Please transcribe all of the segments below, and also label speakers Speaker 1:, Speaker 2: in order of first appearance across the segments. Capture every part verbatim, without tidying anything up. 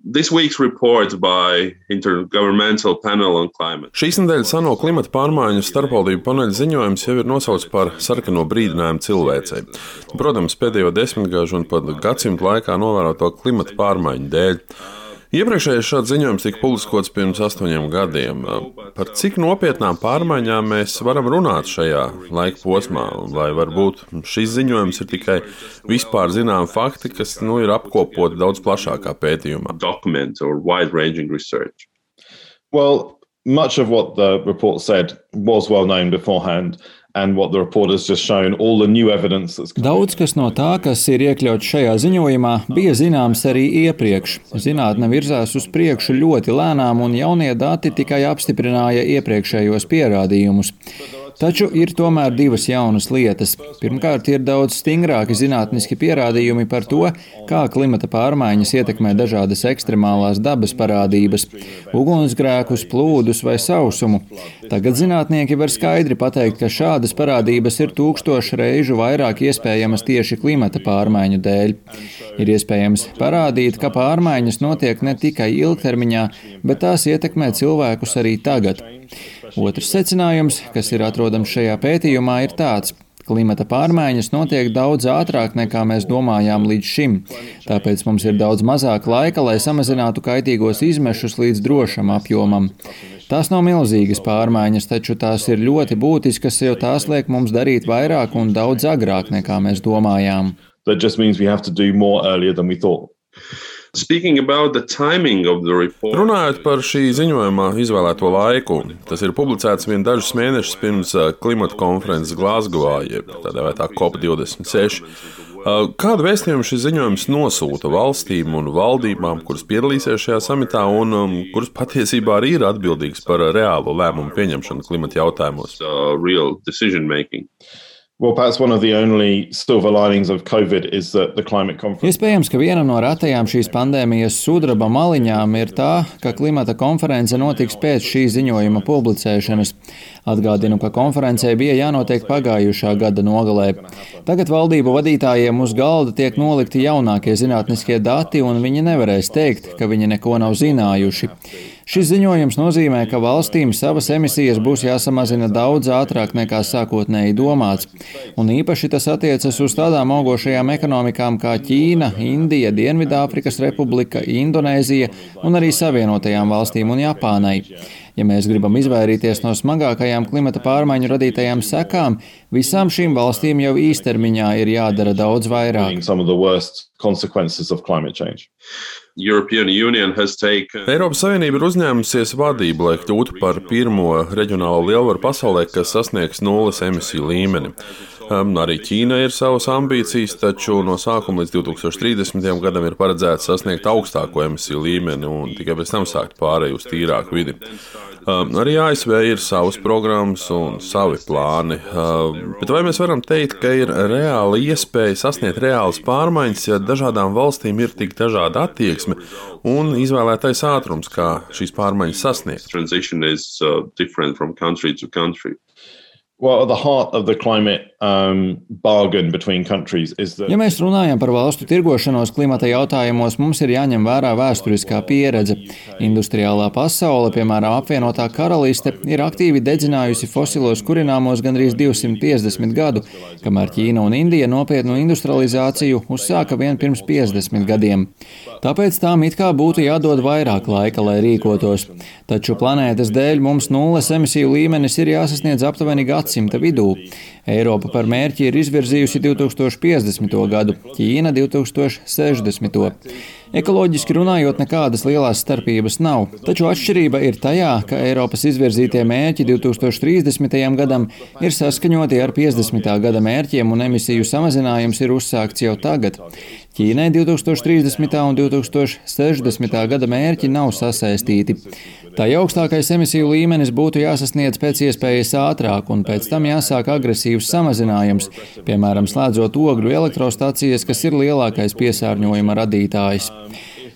Speaker 1: This week's report by Intergovernmental Panel on Climate.
Speaker 2: Šīs nedēļas ANO klimata pārmaiņu starpvaldību paneļa ziņojums jau ir nosaukts par sarkano brīdinājumu cilvēcei. Protams, pēdējo desmitgažu un pat gadsimtu laikā novēroto klimata pārmaiņu dēļ. Iepriekšējais šāds ziņojums tika publiskots pirms astoņiem gadiem. Par cik nopietnām pārmaiņām mēs varam runāt šajā laika posmā, vai varbūt šis ziņojums ir tikai vispār zināmi fakti, kas nu, ir apkopoti daudz plašākā pētījumā?
Speaker 1: Document or wide-ranging research.
Speaker 3: Well, much of what the report said was well known beforehand. And what the report has just shown, all the new evidence that's
Speaker 4: Daudz kas no tā, kas ir iekļauts šajā ziņojumā, bija zināms arī iepriekš. Zinātne virzās uz priekšu ļoti lēnām, un jaunie dati tikai apstiprināja iepriekšējos pierādījumus. Taču ir tomēr divas jaunas lietas. Pirmkārt, ir daudz stingrāki zinātniski pierādījumi par to, kā klimata pārmaiņas ietekmē dažādas ekstremālās dabas parādības – ugunsgrēkus, plūdus vai sausumu. Tagad zinātnieki var skaidri pateikt, ka šādas parādības ir tūkstošu reižu vairāk iespējamas tieši klimata pārmaiņu dēļ. Ir iespējams parādīt, ka pārmaiņas notiek ne tikai ilgtermiņā, bet tās ietekmē cilvēkus arī tagad. Otrs secinājums, kas ir atrodams šajā pētījumā, ir tāds. Klimata pārmaiņas notiek daudz ātrāk, nekā mēs domājām līdz šim. Tāpēc mums ir daudz mazāk laika, lai samazinātu kaitīgos izmešus līdz drošam apjomam. Tās nav milzīgas pārmaiņas, taču tās ir ļoti būtiskas, jo tās liek mums darīt vairāk un daudz agrāk, nekā mēs domājām.
Speaker 3: That just means we have to do more earlier than we thought.
Speaker 1: Speaking about the timing of the report.
Speaker 2: Runājot par šī ziņojumā izvēlēto laiku, tas ir publicēts vien dažus mēnešus pirms klimata konferences Glazgovā, jeb tā dēvētā C O P divdesmit seši. Kādu vēstījumu šis ziņojums nosūta valstīm un valdībām, kuras piedalīsies šajā samitā un um, kuras patiesībā arī ir atbildīgas par reālo lēmumu pieņemšanu klimata jautājumos?
Speaker 1: Uh, real decision making.
Speaker 3: Well, perhaps one of the only silver linings of COVID is that the climate conference.
Speaker 4: Iespējams, ka viena no retajām šīs pandēmijas sudraba maliņām ir tā, ka klimata konference notiks pēc šī ziņojuma publicēšanas. Atgādinu, ka konferencē bija jānotiek pagājušā gada nogalē. Tagad valdību vadītājiem uz galda tiek nolikti jaunākie zinātniskie dati, un viņi nevarēs teikt, ka viņi neko nav zinājuši. Šis ziņojums nozīmē, ka valstīm savas emisijas būs jāsamazina daudz ātrāk nekā sākotnēji domāts. Un īpaši tas attiecas uz tādām augošajām ekonomikām kā Ķīna, Indija, Dienvidāfrikas Republika, Indonēzija un arī Savienotajām valstīm un Japānai. Ja mēs gribam izvairīties no smagākajām klimata pārmaiņu radītajām sekām, visām šīm valstīm jau īstermiņā ir jādara daudz vairāk.
Speaker 1: Taken...
Speaker 2: Eiropas Savienība ir uzņēmusies vadību, lai kļūtu par pirmo reģionālo lielvaru pasaulē, kas sasniegs nulles emisiju līmeni. Um, arī Ķīna ir savas ambīcijas, taču no sākuma līdz divi tūkstoši trīsdesmitajam gadam ir paredzēts sasniegt augstāko emisiju līmeni un tikai pēc tam sākt pārēju uz tīrāku vidi. Um, arī A S V ir savas programmas un savi plāni, um, bet vai mēs varam teikt, ka ir reāla iespēja sasniegt reālas pārmaiņas, ja dažādām valstīm ir tik dažāda attieksme un izvēlētais ātrums, kā šīs pārmaiņas sasniegt?
Speaker 1: Transition is uh, different from country to country.
Speaker 3: Well, at the heart of the climate um, bargain between countries is that...
Speaker 4: Ja mēs runājam par valstu tirgošanos klimata jautājumos, mums ir jāņem vērā vēsturiskā pieredze. Industriālā pasaule, piemēram, apvienotā karaliste, ir aktīvi dedzinājusi fosilos kurināmos gandrīz divsimt piecdesmit gadu, kamēr Ķīna un Indija nopietnu industrializāciju uzsāka vien pirms piecdesmit gadiem. Tāpēc tām it kā būtu jādod vairāk laika, lai rīkotos. Taču planētas dēļ mums nulles emisiju līmenis ir jāsasniedz aptuveni gadsimta vidū. Eiropa par mērķi ir izvirzījusi divi tūkstoši piecdesmito gadu, Ķīna divi tūkstoši sešdesmito. Ekoloģiski runājot, nekādas lielās starpības nav, taču atšķirība ir tajā, ka Eiropas izvirzītie mērķi divi tūkstoši trīsdesmitajam gadam ir saskaņoti ar piecdesmitā gada mērķiem un emisiju samazinājums ir uzsākts jau tagad. Ķīnai divi tūkstoši trīsdesmitā un divi tūkstoši sešdesmitā gada mērķi nav sasaistīti. Tā augstākais emisiju līmenis būtu jāsasniedz pēc iespējas ātrāk un pēc tam jāsāk agresīvs samazinājums, piemēram, slēdzot ogļu elektrostacijas, kas ir lielākais piesārņojuma radītājs.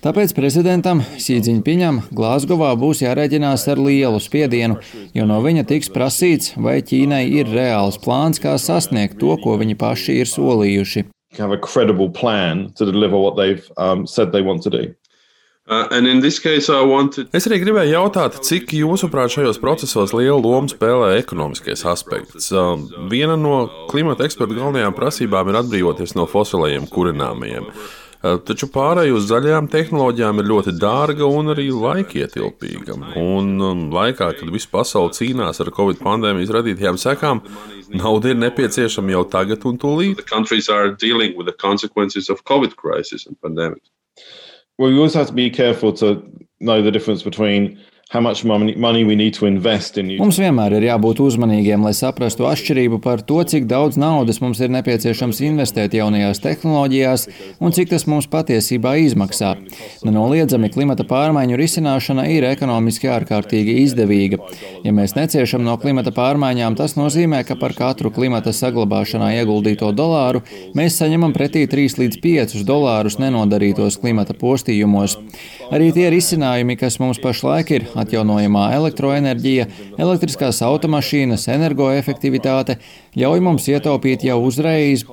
Speaker 4: Tāpēc prezidentam Xi Jinpingam Glazgovā būs jārēķinās ar lielu spiedienu, jo no viņa tiks prasīts, vai Ķīnai ir reāls plāns, kā sasniegt to, ko viņi paši ir solījuši.
Speaker 3: Have a credible plan to deliver what they've um, said they want to do.
Speaker 1: Uh, and in this case, I wanted...
Speaker 2: Es arī gribēju jautāt, cik jūsuprāt šajos procesos lielu lomu spēlē ekonomiskais aspekts. Uh, viena no klimata ekspertu galvenajām prasībām ir atbrīvoties no fosilajiem kurināmajiem. Uh, taču pārēj uz zaļajām tehnoloģijām ir ļoti dārga un arī laikietilpīga. Un um, laikā, kad visa pasaule cīnās ar Covid pandēmijas radītajām sekām, nauda ir nepieciešama jau tagad un tūlīt.
Speaker 1: The countries are dealing with the consequences of Covid crisis and pandemic.
Speaker 3: Well, you also have to be careful to know the difference between how much money, money we need to invest in.
Speaker 4: Mums vienmēr ir jābūt uzmanīgiem, lai saprastu atšķirību par to, cik daudz naudas mums ir nepieciešams investēt jaunajās tehnoloģijās un cik tas mums patiesībā izmaksā. Nenoliedzami klimata pārmaiņu risināšana ir ekonomiski ārkārtīgi izdevīga. Ja mēs neciešam no klimata pārmaiņām, tas nozīmē, ka par katru klimata saglabāšanā ieguldīto dolāru mēs saņemam pretī trīs līdz piecus dolārus nenodarītos klimata postījumos. Arī tie risinājumi, kas mums pašlaik ir, atjaunojamā elektroenerģija, elektriskās automašīnas, energoefektivitāte, ļauj mums ietaupīt jau uzreiz.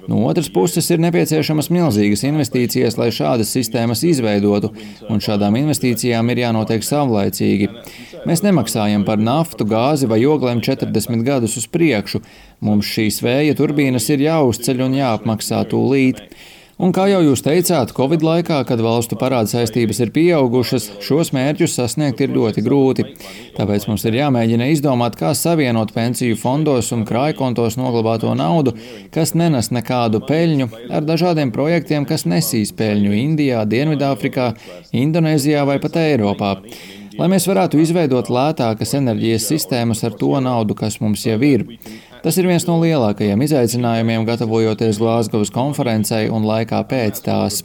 Speaker 4: No otras puses ir nepieciešamas milzīgas investīcijas, lai šādas sistēmas izveidotu, un šādām investīcijām ir jānotiek savlaicīgi. Mēs nemaksājam par naftu, gāzi vai oglēm četrdesmit gadus uz priekšu. Mums šīs vēja turbīnas ir jāuzceļ un jāapmaksā tūlīt. Un kā jau jūs teicāt, Covid laikā, kad valstu parāda saistības ir pieaugušas, šos mērķus sasniegt ir ļoti grūti. Tāpēc mums ir jāmēģina izdomāt, kā savienot pensiju fondos un krājkontos noglabāto naudu, kas nenes nekādu peļņu, ar dažādiem projektiem, kas nesīs peļņu Indijā, Dienvidāfrikā, Indonēzijā vai pat Eiropā. Lai mēs varētu izveidot lētākas enerģijas sistēmas ar to naudu, kas mums jau ir. Tas ir viens no lielākajiem izaicinājumiem, gatavojoties Glāzgovas konferencei un laikā pēc tās.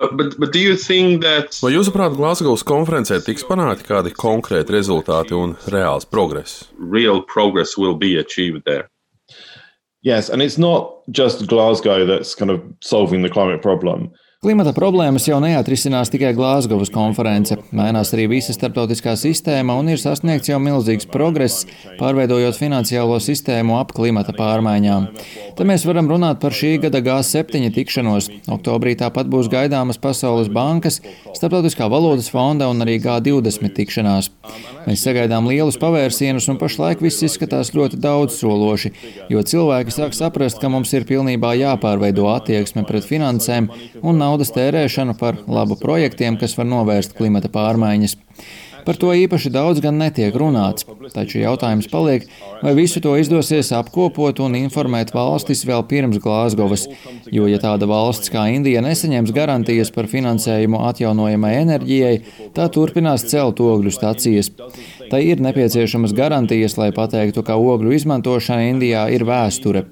Speaker 1: But, but do you think that...
Speaker 2: Vai jūsuprāt, Glāzgovas konferencē tiks panākti kādi konkrēti rezultāti un reāls progress?
Speaker 1: Real progress will be achieved there.
Speaker 3: Yes, and it's not just Glasgow that's kind of solving the climate problem.
Speaker 4: Klimata problēmas jau neatrisinās tikai Glāzgovas konference. Mainās arī visa starptautiskā sistēma un ir sasniegts jau milzīgs progress, pārveidojot finansiālo sistēmu ap klimata pārmaiņām. Te mēs varam runāt par šī gada G septiņi tikšanos. Oktobrī tāpat būs gaidāmas Pasaules bankas, Starptautiskā valūtas fonda un arī G divdesmit tikšanās. Mēs sagaidām lielus pavērsienus un pašlaik viss izskatās ļoti daudzsološi, jo cilvēki sāk saprast, ka mums ir pilnībā jāpārveido attieksme pret finansēm un naudas tērēšanu par labu projektiem, kas var novērst klimata pārmaiņas. Par to īpaši daudz gan netiek runāts, taču jautājums paliek, vai visu to izdosies apkopot un informēt valstis vēl pirms Glāzgovas, jo ja tāda valsts kā Indija nesaņems garantijas par finansējumu atjaunojamai enerģijai, tā turpinās celt ogļu stacijas. Tai ir nepieciešamas garantijas, lai pateiktu, ka ogļu izmantošana Indijā ir vēsture.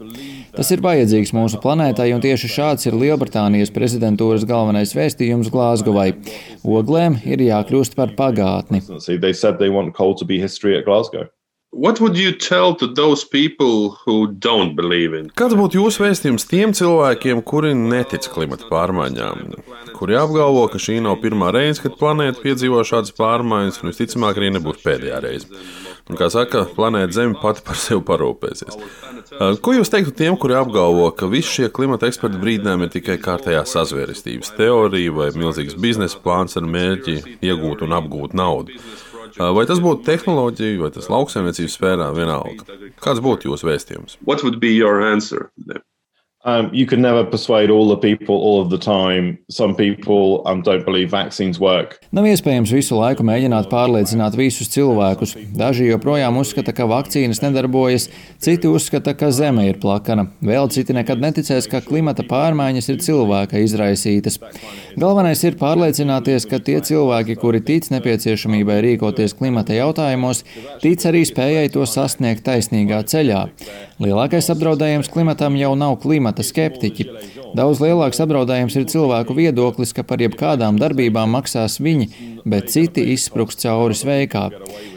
Speaker 4: Tas ir vajadzīgs mūsu planētai, un tieši šāds ir Lielbritānijas prezidentūras galvenais vēstījums Glāzgovai. Oglēm ir jākļūst par pagātni.
Speaker 3: They said they want coal to be history at Glasgow.
Speaker 1: What would you tell to those people who don't believe in?
Speaker 2: Kāds būtu jūsu vēstījums tiem cilvēkiem, kuri netic klimata pārmaiņām, kuri apgalvo, ka šī nav pirmā reize, kad planēta piedzīvo šādas pārmaiņas, un visticamāk arī nebūs pēdējā reize? Un, kā saka, planēta Zeme pati par sevi parūpēsies. Ko jūs teiktu tiem, kuri apgalvo, ka visi šie klimata eksperti brīdinājumi ir tikai kārtējā sazvērestības teorija vai milzīgs biznesa plāns ar mērķi iegūt un apgūt naudu? Vai tas būtu tehnoloģija, vai tas lauksaimniecības sfērā, vienalga? Kāds būtu jūsu vēstījums?
Speaker 1: What would be your answer then?
Speaker 3: Um, you can never persuade all the people all of the time. Some people um, don't believe vaccines work.
Speaker 4: Nav iespējams visu laiku mēģināt pārliecināt visus cilvēkus. Daži joprojām uzskata, ka vakcīnas nedarbojas, citi uzskata, ka Zeme ir plakana. Vēl citi nekad neticēs, ka klimata pārmaiņas ir cilvēka izraisītas. Galvenais ir pārliecināties, ka tie cilvēki, kuri tic nepieciešamībai rīkoties klimata jautājumos, tic arī spējai to sasniegt taisnīgā ceļā. Lielākais apdraudējums klimatam jau nav klimata skeptiķi. Daudz lielāks apdraudējums ir cilvēku viedoklis, ka par jebkādām darbībām maksās viņi, bet citi izspruks cauri sveikā.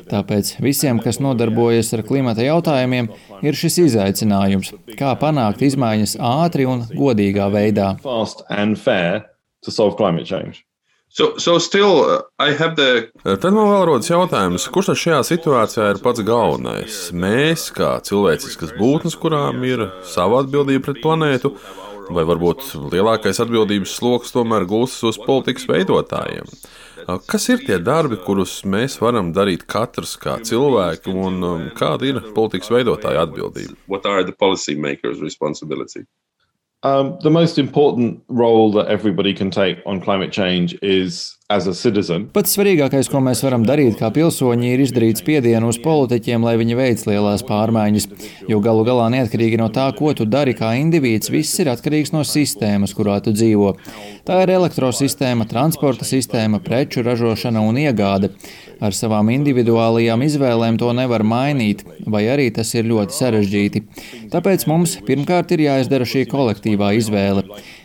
Speaker 4: Tāpēc visiem, kas nodarbojas ar klimata jautājumiem, ir šis izaicinājums, kā panākt izmaiņas ātri un godīgā veidā.
Speaker 3: Fast and fair to solve climate change.
Speaker 1: So, so still, uh, I have the...
Speaker 2: Tad man vēl rodas jautājums, kurš tad šajā situācijā ir pats galvenais? Mēs, kā cilvēciskas būtnes, kurām ir sava atbildība pret planētu, vai varbūt lielākais atbildības sloks tomēr gulstas uz politikas veidotājiem? Kas ir tie darbi, kurus mēs varam darīt katrs kā cilvēki, un kāda ir politikas veidotāja atbildība?
Speaker 1: What are the policymakers' responsibility?
Speaker 3: Um, the most important role that everybody can take on climate change is as a citizen.
Speaker 4: Pats svarīgākais, ko mēs varam darīt kā pilsoņi, ir izdarīt spiedienu uz politiķiem, lai viņi veic lielās pārmaiņas, jo galu galā neatkarīgi no tā, ko tu dari kā indivīds, viss ir atkarīgs no sistēmas, kurā tu dzīvo. Tā ir elektrosistēma, transporta sistēma, preču ražošana un iegāde. Ar savām individuālajām izvēlēm to nevar mainīt, vai arī tas ir ļoti sarežģīti. Tāpēc mums pirmkārt ir jāizdara šī kolektīvā izvēle.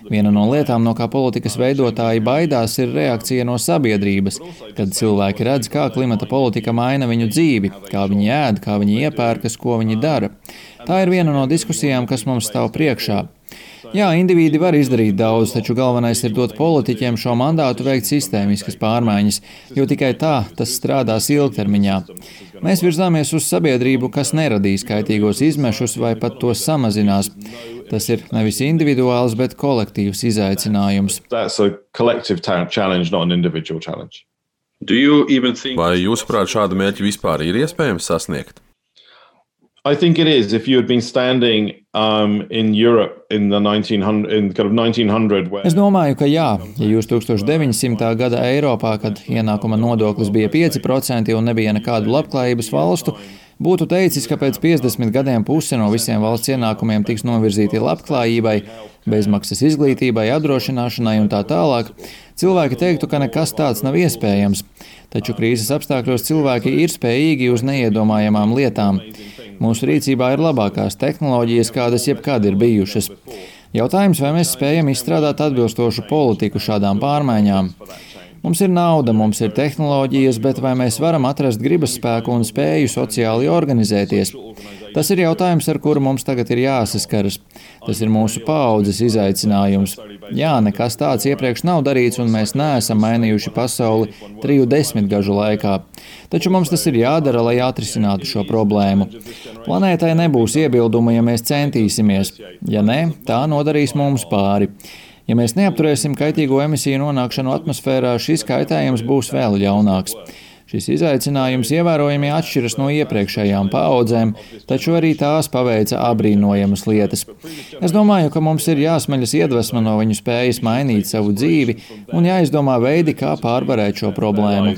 Speaker 4: Viena no lietām, no kā politikas veidotāji baidās, ir reakcija no sabiedrības, kad cilvēki redz, kā klimata politika maina viņu dzīvi, kā viņi ēd, kā viņi iepērkas, ko viņi dara. Tā ir viena no diskusijām, kas mums stāv priekšā. Jā, indivīdi var izdarīt daudz, taču galvenais ir dot politiķiem šo mandātu veikt sistēmiskas pārmaiņas, jo tikai tā tas strādās ilgtermiņā. Mēs virzāmies uz sabiedrību, kas neradīs kaitīgos izmešus vai pat tos samazinās. Tas ir nevis individuāls, bet kolektīvs izaicinājums.
Speaker 2: Vai jūsuprāt šādu mērķi vispār ir iespējams sasniegt?
Speaker 3: I think it is. If you had been standing um, in Europe in the nineteen hundred, in kind of nineteen hundred, where...
Speaker 4: Es domāju, ka jā. Ja jūs tūkstoš deviņsimtā gada Eiropā, kad ienākuma nodoklis bija pieci procenti un nebija nekādu labklājības valstu, būtu teicis, ka pēc piecdesmit gadiem puse no visiem valsts ienākumiem tiks novirzīti labklājībai, bezmaksas izglītībai, apdrošināšanai un tā tālāk, cilvēki teiktu, ka nekas tāds nav iespējams. Taču krīzes apstākļos cilvēki ir spējīgi uz neiedomājamām lietām. Mūsu rīcībā ir labākās tehnoloģijas, kādas jebkad ir bijušas. Jautājums, vai mēs spējam izstrādāt atbilstošu politiku šādām pārmaiņām? Mums ir nauda, mums ir tehnoloģijas, bet vai mēs varam atrast gribas spēku un spēju sociāli organizēties? Tas ir jautājums, ar kuru mums tagad ir jāsaskaras. Tas ir mūsu paaudzes izaicinājums. Jā, nekas tāds iepriekš nav darīts, un mēs neesam mainījuši pasauli triju desmitgažu laikā. Taču mums tas ir jādara, lai atrisinātu šo problēmu. Planētai nebūs iebildumu, ja mēs centīsimies. Ja nē, tā nodarīs mums pāri. Ja mēs neapturēsim kaitīgo emisiju nonākšanu atmosfērā, šis kaitējums būs vēl ļaunāks. Šis izaicinājums ievērojami atšķiras no iepriekšējām paaudzēm, taču arī tās paveica abrīnojamas lietas. Es domāju, ka mums ir jāsmeļas iedvesma no viņu spējas mainīt savu dzīvi un jāizdomā veidi, kā pārvarēt šo problēmu.